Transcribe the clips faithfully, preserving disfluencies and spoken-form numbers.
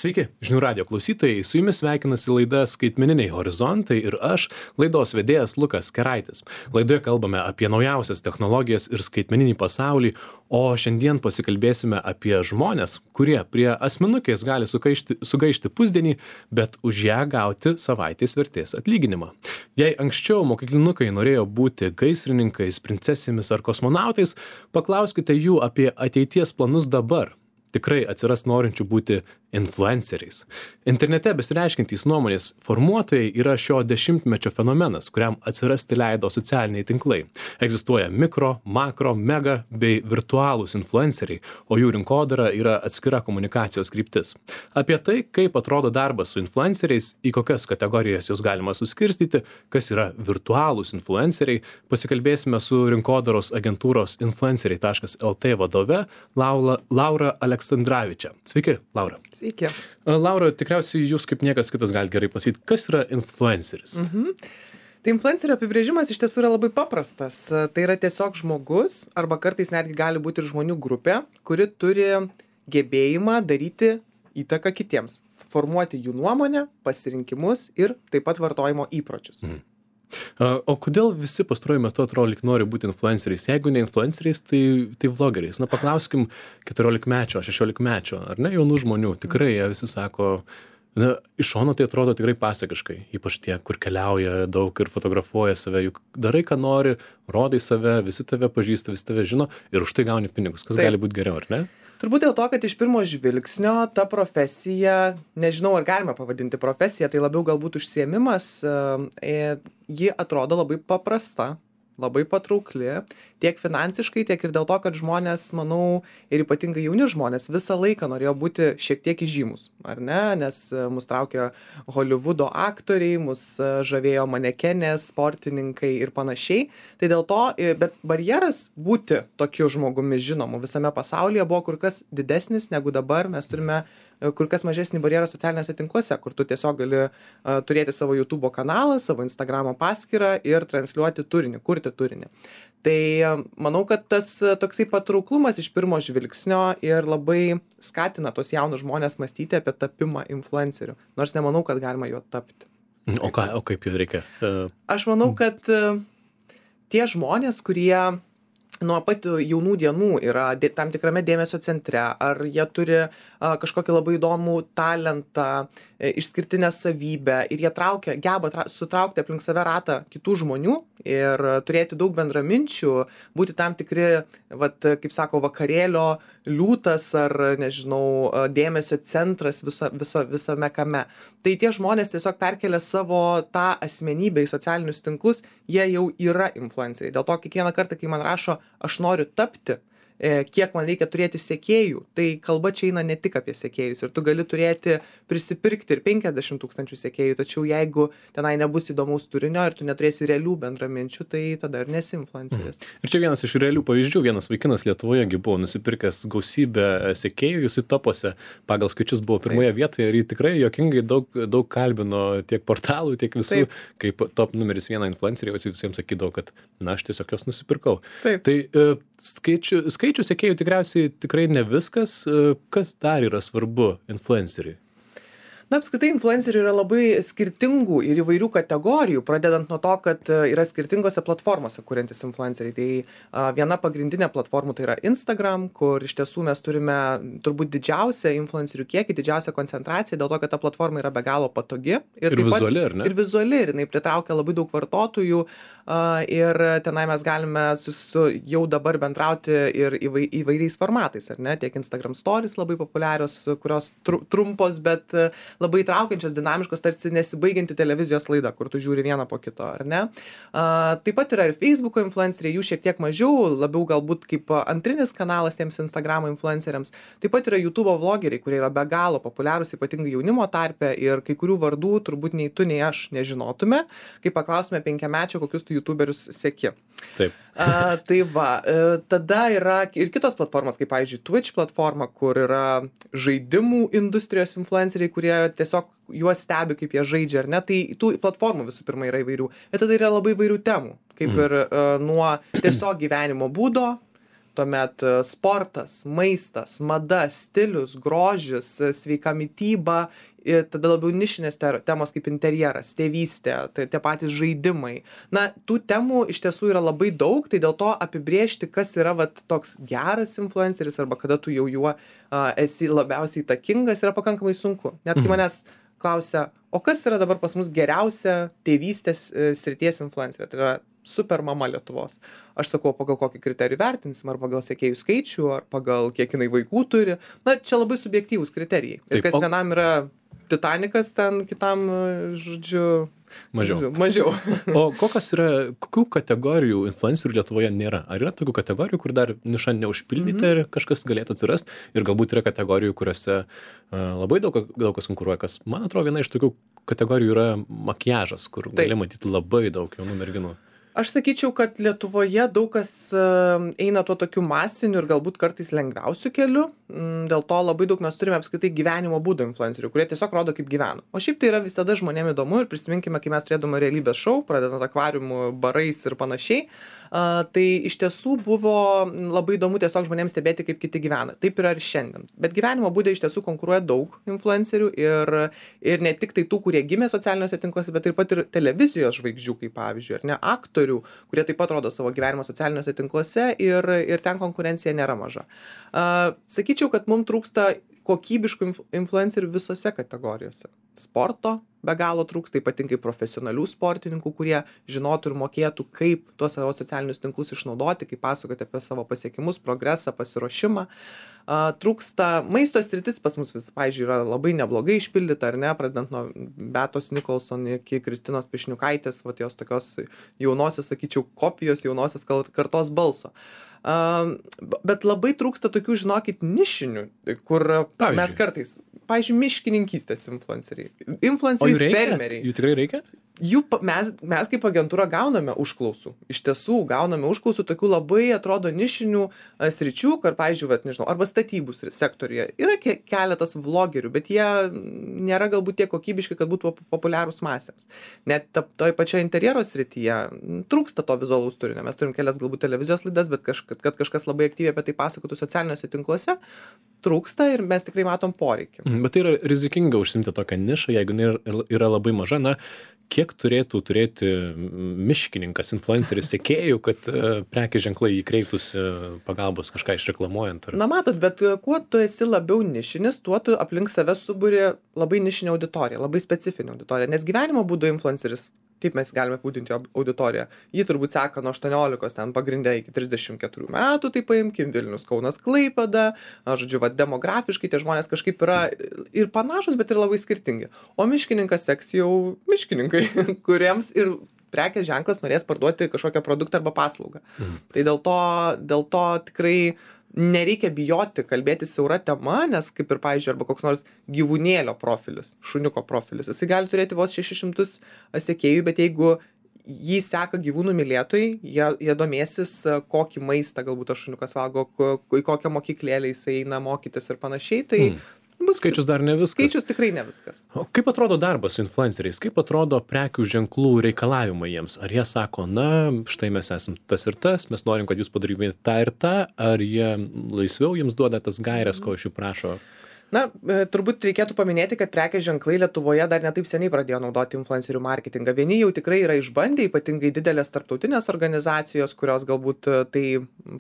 Sveiki, žinių radijo klausytojai, su jumis sveikinasi laida Skaitmeniniai horizontai ir aš, laidos vedėjas Lukas Keraitis. Laidoje kalbame apie naujausias technologijas ir skaitmeninį pasaulį, o šiandien pasikalbėsime apie žmones, kurie prie asmenukės gali sugaišti, sugaišti pusdienį, bet už ją gauti savaitės vertės atlyginimą. Jei anksčiau mokyklinukai norėjo būti gaisrininkais, princesėmis ar kosmonautais, paklauskite jų apie ateities planus dabar. Tikrai atsiras norinčių būti influenceriais. Internete besireiškiantys nuomonės formuotojai yra šio dešimtmečio fenomenas, kuriam atsirasti leido socialiniai tinklai. Egzistuoja mikro, makro, mega bei virtualūs influenceriai, o jų rinkodara yra atskira komunikacijos kryptis. Apie tai, kaip atrodo darbas su influenceriais, į kokias kategorijas juos galima suskirstyti, kas yra virtualūs influenceriai, pasikalbėsime su rinkodaros agentūros influenceriai taškas el tė vadove Laura, Laura Aleksandravičia. Sveiki, Laura. Sveiki. Laura, tikriausiai jūs kaip niekas kitas galite gerai pasakyti, kas yra influenceris? Mhm. Tai influencerio apibrėžimas iš tiesų yra labai paprastas. Tai yra tiesiog žmogus, arba kartais netgi gali būti ir žmonių grupė, kuri turi gebėjimą daryti įtaką kitiems, formuoti jų nuomonę, pasirinkimus ir taip pat vartojimo įpročius. Mhm. O kodėl visi pastaruoju metu atrodo lyg nori būti influenceriais? Jeigu ne influenceriais, tai, tai vlogeriais. Na, paklauskim keturiolikmečio, šešiolikmečio, ar ne, jaunų žmonių. Tikrai jie visi sako, na, iš šono tai atrodo tikrai pasakiškai. Ypač tie, kur keliauja daug ir fotografuoja save. Juk darai, ką nori, rodai save, visi tave pažįsta, visi tave žino ir už tai gauni pinigus. Kas Taip. Gali būti geriau, ar ne? Turbūt dėl to, kad iš pirmo žvilgsnio ta profesija, nežinau, ar galima pavadinti profesiją, tai labiau galbūt užsiėmimas, ji atrodo labai paprasta, labai patraukli, tiek finansiškai, tiek ir dėl to, kad žmonės, manau, ir ypatingai jauni žmonės visą laiką norėjo būti šiek tiek įžymus, ar ne? Nes mus traukė Hollywoodo aktoriai, mus žavėjo manekenės, sportininkai ir panašiai. Tai dėl to, bet barjeras būti tokiu žmogumi žinomu visame pasaulyje buvo kur kas didesnis negu dabar. Mes turime kur kas mažesnį barjerą socialiniuose tinkluose, kur tu tiesiog gali uh, turėti savo YouTube kanalą, savo Instagramo paskyrą ir transliuoti turinį, kurti turinį. Tai uh, manau, kad tas uh, toksai patrauklumas iš pirmo žvilgsnio ir labai skatina tos jaunus žmonės mąstyti apie tapimą influenceriu, nors nemanau, kad galima juo tapti. O, ką, o kaip jau reikia? Uh... Aš manau, kad uh, tie žmonės, kurie nuo pat jaunų dienų yra tam tikrame dėmesio centre, ar jie turi a, kažkokį labai įdomų talentą, e, išskirtinę savybę ir jie traukia, geba tra, sutraukti aplink save ratą kitų žmonių ir turėti daug bendraminčių, būti tam tikri, vat, kaip sako, vakarėlio liūtas ar, nežinau, dėmesio centras viso, viso, visame kame. Tai tie žmonės tiesiog perkelia savo tą asmenybę į socialinius tinklus, jie jau yra influenceriai. Dėl to kiekvieną kartą, kai man rašo, aš noriu tapti, kiek man reikia turėti sekėjų, tai kalba čia eina ne tik apie sekėjus. Ir tu gali turėti, prisipirkti ir penkiasdešimt tūkstančių sekėjų, tačiau jeigu tenai nebus įdomaus turinio ir tu neturėsi realių bendraminčių, tai tada ir nesi influenceris. Mhm. Ir čia vienas iš realių pavyzdžių, vienas vaikinas Lietuvoje buvo nusipirkęs gausybę sekėjų, jis į topose pagal skaičius buvo pirmoje Taip. Vietoje ir jį tikrai juokingai daug, daug kalbino tiek portalų, tiek visų, Taip. Kaip top numeris vieną influencerį, visi visiems sakydavo, kad na, aš tiesiog jos nusipirkau. Taip. Tai uh, skaičių, skaičių sekėjų tikriausiai tikrai ne viskas. Kas dar yra svarbu influenceriui? Na, apskritai, influencerių yra labai skirtingų ir įvairių kategorijų, pradedant nuo to, kad yra skirtingose platformose kuriantis influenceriai. Tai a, viena pagrindinė platformų tai yra Instagram, kur iš tiesų mes turime turbūt didžiausią influencerių kiekį, didžiausią koncentraciją, dėl to, kad ta platforma yra be galo patogi. Ir, ir vizuali, ar ne? Ir vizuali, ir jinai pritraukia labai daug vartotojų. Uh, ir tenai mes galime su, su jau dabar bendrauti ir įvai, įvairiais formatais, ar ne? Tiek Instagram stories labai populiarios, kurios tru, trumpos, bet labai traukiančios, dinamiškos, tarsi nesibaigianti televizijos laida, kur tu žiūri vieną po kito, ar ne? Uh, taip pat yra ir Facebooko influenceriai, jų šiek tiek mažiau, labiau galbūt kaip antrinis kanalas tiems Instagramo influenceriams. Taip pat yra YouTube vlogeriai, kurie yra be galo populiarūs, ypatingai jaunimo tarpe, ir kai kurių vardų turbūt nei tu, nei aš nežinotume, kai paklausime penkiamečio, kokius YouTuberius seki. Taip. A, tai va, tada yra ir kitos platformos, kaip pavyzdžiui Twitch platforma, kur yra žaidimų industrijos influenceriai, kurie tiesiog juos stebi, kaip jie žaidžia, ar ne? Tai tų platformų visų pirma yra įvairių. Bet tada yra labai įvairių temų, kaip ir uh, nuo tiesiog gyvenimo būdo, tuomet e, sportas, maistas, mada, stilius, grožis, e, sveika mityba, ir tada labiau nišinės ter- temos kaip interjeras, tėvystė, tai tie patys žaidimai. Na, tų temų iš tiesų yra labai daug, tai dėl to apibrėžti, kas yra vat, toks geras influenceris arba kada tu jau juo a, esi labiausiai įtakingas, yra pakankamai sunku. Net kai manęs klausia, o kas yra dabar pas mus geriausia tėvystės e, srities influencerė, tai yra super mama Lietuvos. Aš sakau, pagal kokį kriterijų vertinsim, ar pagal sekėjų skaičių, ar pagal kiek jinai vaikų turi. Na, čia labai subjektyvūs kriterijai. Ir Taip, kas o- vienam yra Titanikas, ten kitam, e, žodžiu, Mažiau. žodžiu, mažiau. O kokios yra, kokių kategorijų influencerių Lietuvoje nėra? Ar yra tokių kategorijų, kur dar niša neužpildyta ir kažkas galėtų atsirasti? Ir galbūt yra kategorijų, kuriuose uh, labai daug, daug kas konkuruoja. Kas, man atrodo, viena iš tokių kategorijų yra makiažas, kur Taip. gali matyti labai daug jaunų merginų. Aš sakyčiau, kad Lietuvoje daug kas e, eina tuo tokiu masiniu ir galbūt kartais lengviausiu keliu. Mm, Dėl to labai daug mes turime apskritai gyvenimo būdo influencerių, kurie tiesiog rodo, kaip gyvena. O šiaip tai yra visada žmonėms įdomu ir prisiminkime, kai mes turėdome realybės šou, pradedant akvariumų, barais ir panašiai. A, tai iš tiesų buvo labai įdomu tiesiog žmonėms stebėti, kaip kiti gyvena. Taip yra ir šiandien. Bet gyvenimo būde iš tiesų konkuruoja daug influencerių ir, ir ne tik tai tų, kurie gimė socialiniuose tinkluose, bet taip pat ir televizijos žvaigždžių, kaip pavyzdžiui, ar ne, aktorių, kurie taip pat rodo savo gyvenimą socialiniuose tinkluose ir, ir ten konkurencija nėra maža. A, sakyčiau, kad mums trūksta kokybiškų inf- influencerių visose kategorijose. Sporto be galo trūksta, ypatingai profesionalių sportininkų, kurie žinotų ir mokėtų, kaip tuos savo socialinius tinklus išnaudoti, kaip pasakoti apie savo pasiekimus, progresą, pasiruošimą. A, trūksta maisto sritis pas mus vis, pavyzdžiui, yra labai neblogai išpildyta, ar ne, pradedant nuo Beatos Nikolson iki Kristinos Pišniukaitės, vat jos tokios jaunosios, sakyčiau, kopijos jaunosios kal- kartos balso. Um, bet labai trūksta tokių, žinokit, nišinių, kur Pavyzdžiui? mes kartais, pavyzdžiui, miškininkystės influenceriai, O influenceriai jų reikia? fermeriai. Jų tikrai reikia? Jų, pa- mes, mes kaip agentūra gauname užklausų. Iš tiesų, gauname užklausų tokių labai, atrodo, nišinių a, sričių, kur, pavyzdžiui, vat, nežinau, arba statybų sri- sektoriuje. Yra ke keletas vlogerių, bet jie nėra galbūt tiek kokybiški, kad būtų pop- populiarūs masėms. Net ta- toj pačioje interjero srityje m, trūksta to vizualaus turinio. Mes turim kelias galbūt televizijos laidas, bet kaž, kad kažkas labai aktyviai apie tai pasakotų socialiniuose tinkluose, trūksta ir mes tikrai matom poreikį. Mhm, bet tai yra rizikinga užsimti tokią nišą, jeigu jinai yra, yra labai maža. Na, kiek turėtų turėti miškininkas, influenceris, sekėjų, kad uh, prekės ženklai įkreiptųsi pagalbos kažką išreklamuojant? Ar... Na matot, bet e, kuo tu esi labiau nišinis, tuo tu aplink save suburi labai nišinę auditoriją, labai specifinę auditoriją. Nes gyvenimo būdo influenceris, kaip mes galime apibūdinti jo auditoriją, jį turbūt seka nuo aštuoniolikos ten pagrindė iki trisdešimt keturių metų, tai paimkim Vilnius, Kaunas, Klaipėda, a, žodžiu, va, demografiškai tie žmonės kažkaip yra ir panašus, bet ir labai skirtingi. O miškininkas seks jau miškininkai, kuriems ir prekės ženklas norės parduoti kažkokią produktą arba paslaugą. Mhm. Tai dėl to, dėl to tikrai nereikia bijoti kalbėti siaura tema, nes kaip ir, pavyzdžiui, arba koks nors gyvūnėlio profilis, šuniuko profilis, jisai gali turėti vos šešis šimtus sekėjų, bet jeigu jį seka gyvūnų mylėtojai, jie, jie domėsis, kokį maistą galbūt tas šuniukas valgo, ko, į kokią mokyklėlę jisai eina mokytis ir panašiai, tai Mm. bus Skaičius dar ne viskas. skaičius tikrai ne viskas. O kaip atrodo darbas su influenceriais? Kaip atrodo prekių ženklų reikalavimai jiems? Ar jie sako, na, štai mes esam tas ir tas, mes norim, kad jūs padarytumėte tą ir tą, ar jie laisviau jums duoda tas gairias, ko iš jų prašo? Na, e, turbūt reikėtų paminėti, kad prekės ženklai Lietuvoje dar netaip seniai pradėjo naudoti influencerių marketingą. Vieni jau tikrai yra išbandę, ypatingai didelės tarptautinės organizacijos, kurios galbūt e, tai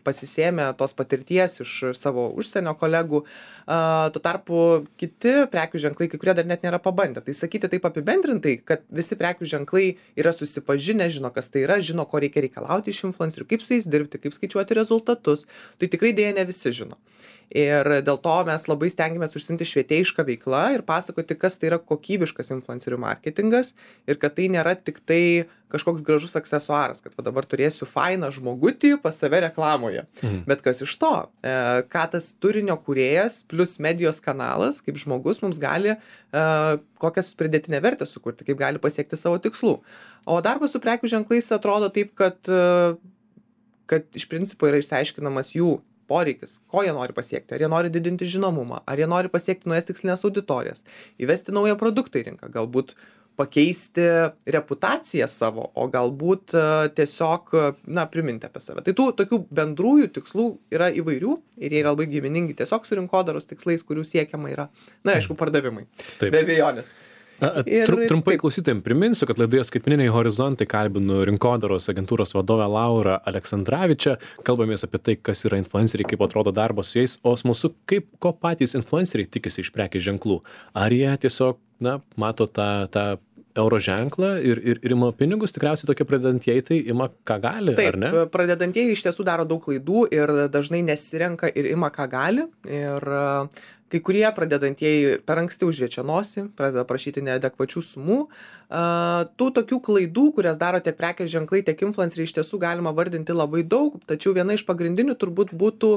pasisėmė tos patirties iš savo užsienio kolegų. A, tuo tarpu kiti prekių ženklai, kai kurie dar net nėra pabandę. Tai sakyti taip apibendrintai, kad visi prekių ženklai yra susipažinę, žino, kas tai yra, žino, ko reikia reikalauti iš influencerių, kaip su jais dirbti, kaip skaičiuoti rezultatus. Tai tikrai dėja ne visi žino. Ir dėl to mes labai stengiamės užsimti švietėjišką veiklą ir pasakoti, kas tai yra kokybiškas influencerių marketingas ir kad tai nėra tik tai kažkoks gražus aksesuaras, kad va dabar turėsiu fainą žmogutį pas save reklamoje. Mhm. Bet kas iš to? E, ką tas turinio kūrėjas plus medijos kanalas, kaip žmogus mums gali, e, kokias pridėtinę vertę sukurti, kaip gali pasiekti savo tikslų. O darbas su prekių ženklais atrodo taip, kad, e, kad iš principo yra išsiaiškinamas jų poreikis, ko jie nori pasiekti, ar jie nori didinti žinomumą, ar jie nori pasiekti naujas tikslinės auditorijas, įvesti naują produktą į rinką, galbūt pakeisti reputaciją savo, o galbūt e, tiesiog, na, priminti apie save. Tai tų tokių bendrųjų tikslų yra įvairių ir jie yra labai giminingi tiesiog su rinkodaros tikslais, kurių siekiama yra, na, aišku, pardavimai. Taip. Be abejonės. Ir, Trum, trumpai klausytojams priminsiu, kad laidoje Skaitmeniniai horizontai kalbinu rinkodaros agentūros vadovę Laurą Aleksandravičią. Kalbamės apie tai, kas yra influenceriai, kaip atrodo darbas su jais, o smalsu, kaip ko patys influenceriai tikisi iš prekės ženklų. Ar jie tiesiog, na, mato tą, tą euro ženklą ir, ir, ir ima pinigus, tikriausiai tokie pradedantieji tai ima ką gali, Taip, ar ne? Pradedantieji iš tiesų daro daug klaidų ir dažnai nesirenka ir ima ką gali. Ir kai kurie pradedantieji per anksti užriečia nosį, pradeda prašyti neadekvačių sumų. Tų tokių klaidų, kurias daro tiek prekės ženklai, tiek influenceriai, iš tiesų galima vardinti labai daug, tačiau viena iš pagrindinių turbūt būtų,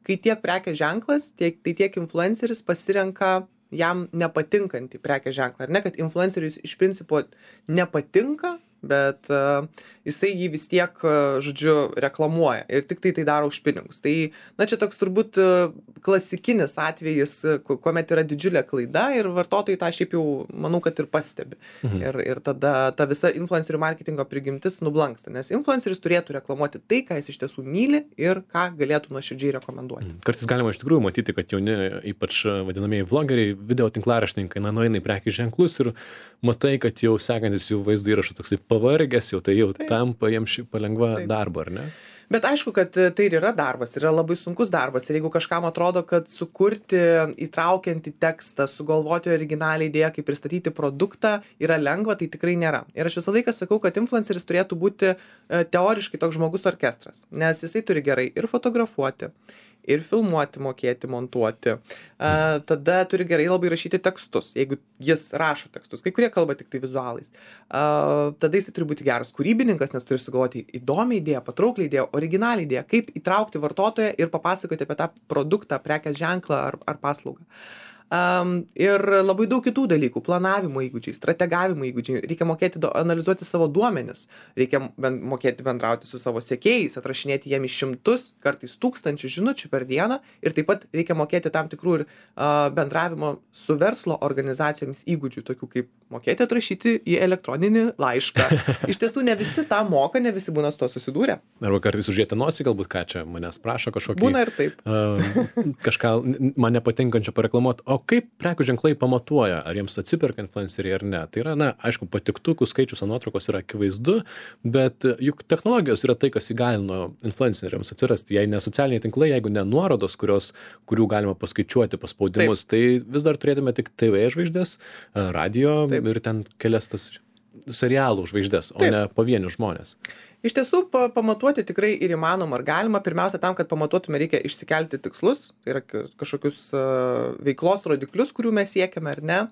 kai tiek prekės ženklas, tiek, tai tiek influenceris pasirenka jam nepatinkantį prekės ženklą. Ar ne, kad influenceriui iš principo nepatinka, bet uh, jisai jį vis tiek, uh, žodžiu, reklamuoja ir tik tai tai daro už pinigus. Tai, na, čia toks turbūt uh, klasikinis atvejis, uh, kuomet yra didžiulė klaida ir vartotojai tą šiaip jau, manau, kad ir pastebi. Mhm. Ir, ir tada ta visa influencerių marketingo prigimtis nublanksta, nes influenceris turėtų reklamuoti tai, ką jis iš tiesų myli ir ką galėtų nuoširdžiai rekomenduoti. Mhm. Kartais galima iš tikrųjų matyti, kad jauni, ypač vadinamieji vlogeriai, video tinklaraštininkai, na, nueina į prekės ženklus ir matai, kad jau sekantis jų vaizdo įrašas toksai pavargęs, jau tai jau Taip. Tampa jiems šį palengva Taip. Darbą, ar ne? Bet aišku, kad tai ir yra darbas, yra labai sunkus darbas. Ir jeigu kažkam atrodo, kad sukurti įtraukiantį tekstą, sugalvoti originalią idėją, kaip pristatyti produktą, yra lengva, tai tikrai nėra. Ir aš visą laiką sakau, kad influenceris turėtų būti teoriškai toks žmogus orkestras, nes jisai turi gerai ir fotografuoti, ir filmuoti, mokėti, montuoti. A, tada turi gerai labai rašyti tekstus, jeigu jis rašo tekstus. Kai kurie kalba tik tai vizualais. A, tada jis turi būti geras kūrybininkas, nes turi sugalvoti įdomią idėją, patrauklią idėją, originalią idėją, kaip įtraukti vartotoją ir papasakoti apie tą produktą, prekės ženklą ar, ar paslaugą. Um, ir labai daug kitų dalykų, planavimo įgūdžiai, strategavimo įgūdžiai, reikia mokėti do, analizuoti savo duomenis, reikia ben, mokėti bendrauti su savo sekėjais, atrašinėti jiem iš šimtus, kartais tūkstančių žinučių per dieną ir taip pat reikia mokėti tam tikrų ir uh, bendravimo su verslo organizacijomis įgūdžių, tokių kaip mokėti atrašyti į elektroninį laišką. Iš tiesų ne visi tą moka, ne visi būna su to susidūrę. Arba kartais užėti nosį, galbūt ką čia manęs prašo kažkokį. Būna ir taip. Uh, kažką man nepatinkančio pareklamuoti. O kaip prekių ženklai pamatuoja, ar jiems atsiperka influenceriai ar ne? Tai yra, na, aišku, patiktukų skaičius ant nuotraukos yra akivaizdu, bet juk technologijos yra tai, kas įgalino influenceriams atsirasti. Jei ne socialiniai tinklai, jeigu ne nuorodos, kurios, kurių galima paskaičiuoti paspaudimus, Taip. Tai vis dar turėtume tik T V žvaigždės, radio Taip. Ir ten kelias tas serialų žvaigždės, o Taip. Ne pavienių žmonės. Iš tiesų, pa, pamatuoti tikrai ir įmanoma, ar galima. Pirmiausia, tam, kad pamatuotume, reikia išsikelti tikslus, tai yra kažkokius uh, veiklos rodiklius, kurių mes siekiame, ar ne.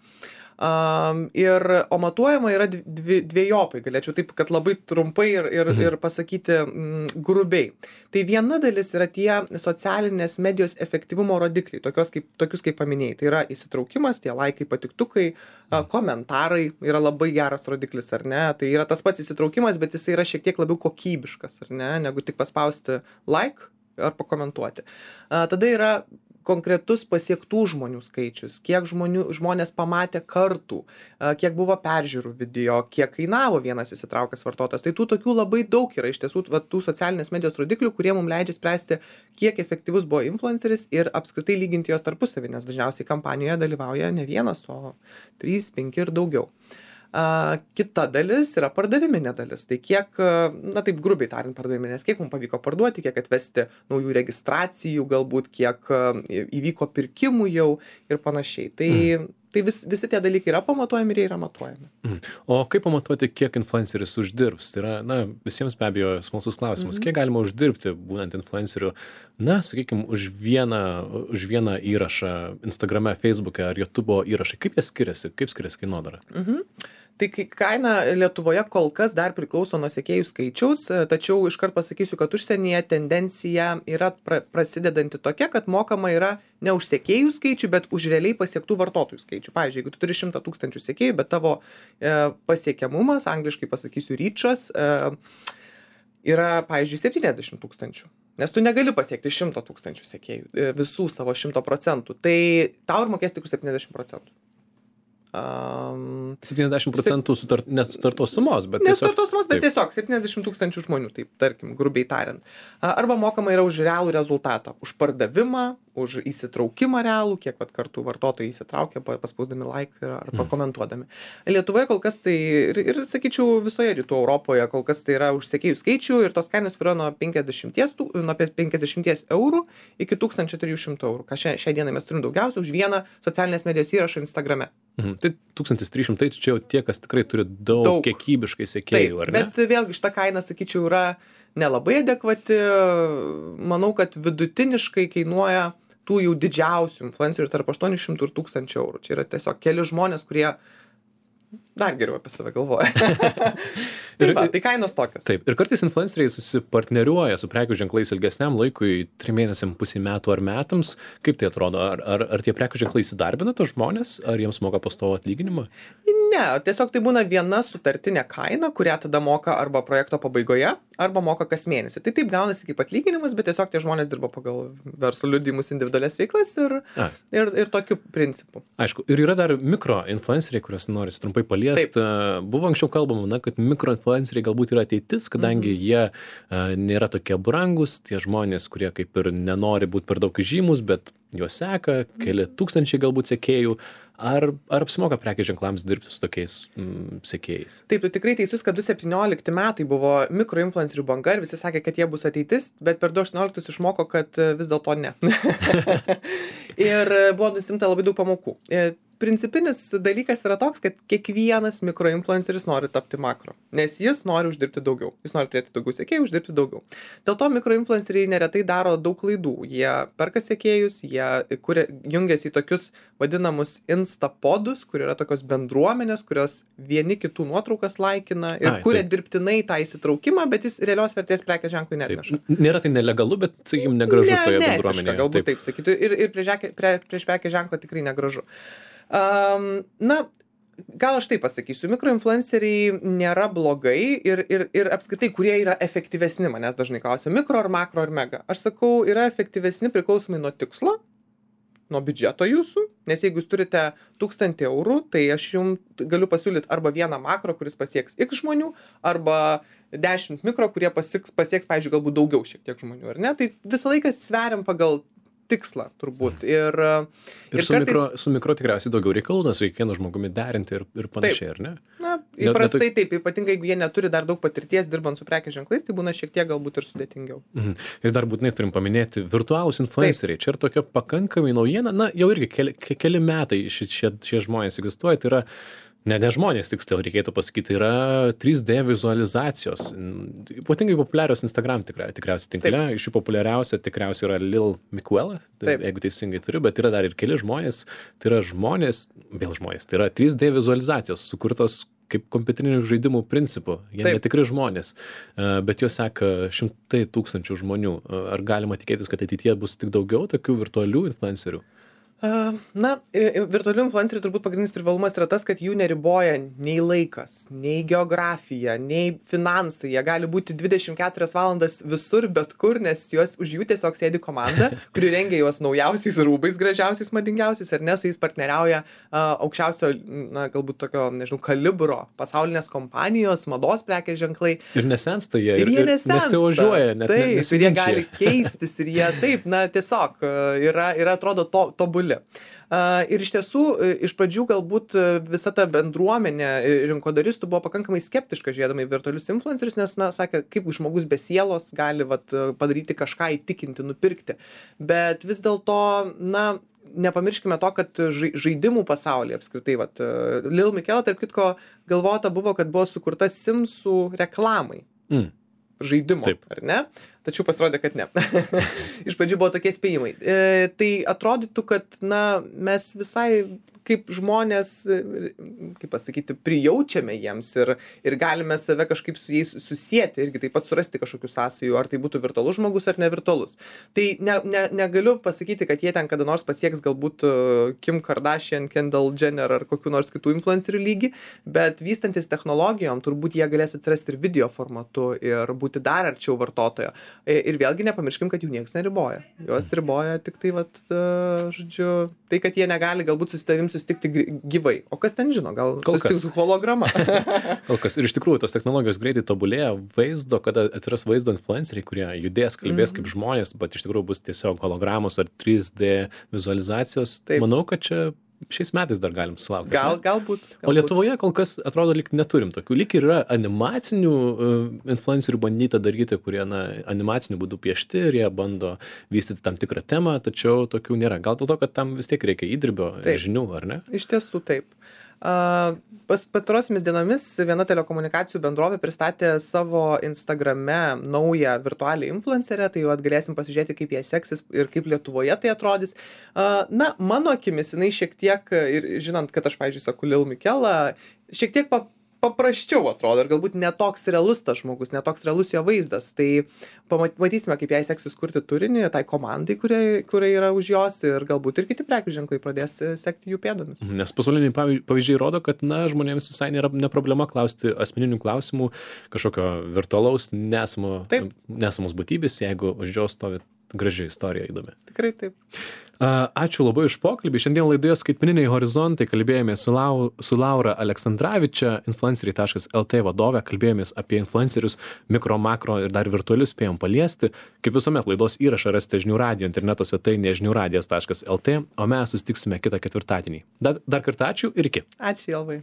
Um, ir, o matuojama yra dvi, dviejopai, galėčiau taip, kad labai trumpai ir, ir, mhm. ir pasakyti mm, grubiai. Tai viena dalis yra tie socialinės medijos efektyvumo rodikliai, tokios kaip, tokius kaip paminėjai. Tai yra įsitraukimas, tie laikai, patiktukai, mhm. komentarai yra labai geras rodiklis, ar ne. Tai yra tas pats įsitraukimas, bet jis yra šiek tiek labiau kokybiškas, ar ne, negu tik paspausti like ar pakomentuoti. A, tada yra konkretus pasiektų žmonių skaičius, kiek žmonių, žmonės pamatė kartų, kiek buvo peržiūrų video, kiek kainavo vienas įsitraukęs vartotojas. Tai tų tokių labai daug yra iš tiesų va, tų socialinės medijos rodiklių, kurie mums leidžia spręsti, kiek efektyvus buvo influenceris ir apskritai lyginti jos tarpusavį, nes dažniausiai kampanijoje dalyvauja ne vienas, o trys, penki ir daugiau. Uh, kita dalis yra pardaviminė dalis. Tai kiek, na taip grubiai tariant, pardaviminės, kiek mums pavyko parduoti, kiek atvesti naujų registracijų, galbūt kiek uh, įvyko pirkimų jau ir panašiai. Tai, mm. tai vis, visi tie dalykai yra pamatuojami ir jie yra matuojami. Mm. O kaip pamatuoti, kiek influenceris uždirbs? Tai yra, na, visiems be abejo smalsus klausimas. Mm-hmm. Kiek galima uždirbti, būnant influenceriu, na, sakykime, už vieną, už vieną įrašą Instagrame, Facebook'e ar YouTube'o įrašai? Kaip jie skiriasi? Kaip skiriasi kainodara? Mhm. Tai kaina Lietuvoje kol kas dar priklauso nuo sekėjų skaičiaus, tačiau iškart pasakysiu, kad užsienyje tendencija yra pra, prasidedanti tokia, kad mokama yra ne už sekėjų skaičių, bet už realiai pasiektų vartotojų skaičių. Pavyzdžiui, jeigu tu turi šimtą tūkstančių sekėjų, bet tavo e, pasiekiamumas, angliškai pasakysiu reachas, e, yra, pavyzdžiui, septyniasdešimt tūkstančių. Nes tu negali pasiekti šimto tūkstančių sekėjų, e, visų savo šimto procentų. Tai tau ir mokės tik už septyniasdešimt procentų. Um, septyniasdešimt procentų sutart, nesutartos sumos, bet tiesiog... Nesutartos sumos, bet tiesiog septyniasdešimt tūkstančių žmonių, taip, tarkim, grubiai tariant. Arba mokama yra už realų rezultatą, už pardavimą, už įsitraukimą realų, kiek vat kartų vartotojai įsitraukia, paspausdami like ar pakomentuodami. Lietuvoje kol kas tai, ir, ir sakyčiau, visoje rytų Europoje kol kas tai yra už sekėjų skaičių ir tos kainos yra nuo penkiasdešimt eurų iki tūkstančio trijų šimtų eurų. Ką šią, šią dieną mes turim daugiausia už vieną socialinės medijos įrašą Instagrame. Mhm. Tai tūkstantis trys šimtai, čia jau tie, kas tikrai turi daug, daug. Kiekybiškai sekėjų, Taip, ar ne? Bet vėlgi šita kaina, sakyčiau, yra nelabai adekvati. Manau, kad vidutiniškai kainuoja tų jau didžiausių influencerių tarp aštuonių šimtų ir tūkstančio eurų. Čia yra tiesiog keli žmonės, kurie dar geriau apie save galvoja. Tai, va, tai kainos tokios. Taip, ir kartais influenceriai susipartneriuoja su prekių ženklais ilgesniam laikui, trim mėnesiam, pusiai metų ar metams. Kaip tai atrodo? Ar, ar, ar tie prekių ženklai įsidarbina tos žmonės? Ar jiems moka pastovų atlyginimą? Ne, tiesiog tai būna viena sutartinė kaina, kurią tada moka arba projekto pabaigoje, arba moka kas mėnesį. Tai taip gaunasi kaip atlyginimas, bet tiesiog tie žmonės dirba pagal verslo liudijimus, individualias veiklas ir, ir, ir tokiu principu. Aišku, ir yra dar mikro influenceriai, kuriuos norisi trumpai paliesti. Buvo anksčiau kalbama, na, kad mikro influenceriai galbūt yra ateitis, kadangi mm-hmm. jie a, nėra tokie brangus, tie žmonės, kurie kaip ir nenori būti per daug žymus, bet juos seka, keli tūkstančiai galbūt sekėjų. Ar, ar apsimoka prekės ženklams dirbti su tokiais mm, sekėjais? Taip, tu tikrai teisus, kad du tūkstančiai septyniolikti metai buvo mikroinfluencerių banga ir visi sakė, kad jie bus ateitis, bet per du tūkstančiai aštuonioliktus išmoko, kad vis dėlto ne. Ir buvo nusimta labai daug pamokų. Principinis dalykas yra toks, kad kiekvienas mikroinfluenceris nori tapti makro, nes jis nori uždirbti daugiau. Jis nori turėti daugiau sekėjų, uždirbti daugiau. Dėl to mikroinfluenceriai neretai daro daug klaidų. Jie perka sekėjus, jie kuria, jungiasi į tokius vadinamus instapodus, kur yra tokios bendruomenės, kurios vieni kitų nuotraukas laikina ir Ai, kuria taip. dirbtinai tą įsitraukimą, bet jis realios vertės prekės ženklui neatneša. Nėra tai nelegalu, bet, sakykime, negražu ne, toje ne, bendruomenėje. Galbūt taip, taip sakytų. Ir, ir prieš, prie, prieš prekės ženklą tikrai negražu. Um, na, gal aš taip pasakysiu, mikroinfluenceriai nėra blogai ir, ir, ir apskritai, kurie yra efektyvesni, manęs dažnai klausia, mikro ar makro ar mega. Aš sakau, yra efektyvesni priklausomai nuo tikslo, nuo biudžeto jūsų, nes jeigu jūs turite tūkstantį eurų, tai aš jums galiu pasiūlyti arba vieną makro, kuris pasieks X žmonių, arba dešimt mikro, kurie pasieks, pasieks pavyzdžiui, galbūt daugiau šiek tiek žmonių, ar ne? Tai visą laiką sveriam pagal tikslą turbūt. Ir, ir, ir su, kartais... mikro, su mikro tikriausiai daugiau reikalų, nes kiekvieną žmogumi derinti ir, ir panašiai, ar ne? Na, įprastai net, net... taip, ypatingai jeigu jie neturi dar daug patirties dirbant su prekės ženklais, tai būna šiek tiek galbūt ir sudėtingiau. Mhm. Ir dar būtinai turim paminėti virtualūs influenceriai. Taip. Čia yra tokia pakankamai naujiena, na, jau irgi keli, keli metai šie, šie, šie žmonės egzistuoja, tai yra Ne, ne žmonės, tiksliau reikėtų pasakyti, yra trys D vizualizacijos. Ypatingai populiarios Instagram tikra, tikriausiai tinkle. Iš jų populiariausia tikriausiai yra Lil Miquela, tai, jeigu teisingai turiu, bet yra dar ir keli žmonės. Tai yra žmonės, vėl žmonės, tai yra trys D vizualizacijos, sukurtos kaip kompiuterinių žaidimų principų. Jie Taip. netikri žmonės, bet juos seka šimtai tūkstančių žmonių. Ar galima tikėtis, kad ateityje bus tik daugiau tokių virtualių influencerių? Na, virtualių influencerių turbūt pagrindinis privalumas yra tas, kad jų neriboja nei laikas, nei geografija, nei finansai. Jie gali būti dvidešimt keturias valandas visur, bet kur, nes juos, už jų tiesiog sėdi komanda, kuri rengia juos naujausiais rūbais, gražiausiais, madingiausiais, ar ne, su jais partneriauja uh, aukščiausio, na, galbūt tokio, nežinau, kalibro pasaulinės kompanijos, mados prekės ženklai. Ir nesensta jie, ir, ir, ir nesivažiuoja, net taip, nesiginčia. Ir jie gali keistis, ir jie taip, na, tiesiog yra, yra atrodo, to, tobuli. Uh, ir iš tiesų, iš pradžių galbūt visa ta bendruomenė rinkodaristų buvo pakankamai skeptiška žiūrėdama į virtualius influencerius, nes, na, sakė, kaip žmogus be sielos gali vat, padaryti kažką, įtikinti, nupirkti. Bet vis dėlto, na, nepamirškime to, kad žaidimų pasaulyje apskritai, vat, Lil Miquela, tarp kitko, galvota buvo, kad buvo sukurta Simsų reklamai. Mm. Žaidimo, Taip. ar ne? Tačiau pasirodė, kad ne. Iš pradžių buvo tokie spėjimai. E, tai atrodytų, kad, na, mes visai kaip žmonės, kaip pasakyti, prijaučiame jiems ir, ir galime save kažkaip su jais susieti, irgi taip pat surasti kažkokių sąsajų, ar tai būtų virtualus žmogus ar nevirtualus. Tai ne, ne, negaliu pasakyti, kad jie ten kada nors pasieks galbūt Kim Kardashian, Kendall Jenner ar kokių nors kitų influencerių lygį, bet vystantis technologijom turbūt jie galės atsirasti ir video formatu ir būti dar arčiau vartotojo. Ir vėlgi nepamirškim, kad jų niekas neriboja. Juos riboja tik tai, vat, žodžiu, tai, kad jie negali galbūt su tavim susitikti gri- gyvai. O kas ten žino, gal Kol kas. susitiks holograma. Kol kas. Ir iš tikrųjų tos technologijos greitai tobulėja, vaizdo, kada atsiras vaizdo influenceriai, kurie judės, kalbės Mhm. kaip žmonės, bet iš tikrųjų bus tiesiog hologramos ar trys D vizualizacijos. Taip. Manau, kad čia šiais metais dar galim sulaukti. Gal, ne? galbūt. O Lietuvoje kol kas atrodo, lyg neturim tokių. Lyg ir yra animacinių uh, influencerių bandyta daryti, kurie na, animaciniu būdu piešti ir jie bando vystyti tam tikrą temą, tačiau tokių nėra. Gal dėl to, kad tam vis tiek reikia įdirbio ir Taip. žinių, ar ne? Iš tiesų taip. A, Pas, pastarosiamis dienomis viena telekomunikacijų bendrovė pristatė savo Instagrame naują virtualią influencerę, tai jau galėsim pasižiūrėti, kaip jai seksis ir kaip Lietuvoje tai atrodys. A, Na, mano akimis, jinai šiek tiek, ir žinant, kad aš, pavyzdžiui, sakau Lil Mikela, šiek tiek pa, paprasčiau atrodo ir galbūt netoks realus tas žmogus, netoks realus jo vaizdas. Tai pamatysime, kaip jai seksis kurti turinį, tai komandai, kurie, kurie yra už jos ir galbūt ir kiti prekių ženklai pradės sekti jų pėdomis. Nes pasauliniai pavyž- pavyzdžiai rodo, kad na, žmonėms visai nėra ne problema klausti asmeninių klausimų, kažkokio virtualaus nesamo, Taip. nesamos būtybės, jeigu už jos stovi graži istorija įdomi. Tikrai taip. A, Ačiū labai už pokalbį. Šiandien laidoje Skaitmeniniai horizontai kalbėjome su, Lau, su Laura Aleksandravičia, influenceriai taškas el tė vadove, kalbėjomės apie influencerius, mikro, makro ir dar virtualius spėjom paliesti. Kaip visuomet laidos įrašą rasite žinių radijo interneto svetainėje žinių radijas taškas el tė, o mes susitiksime kitą ketvirtadienį. Dar, dar kartą ačiū ir iki. Ačiū, Jolvai.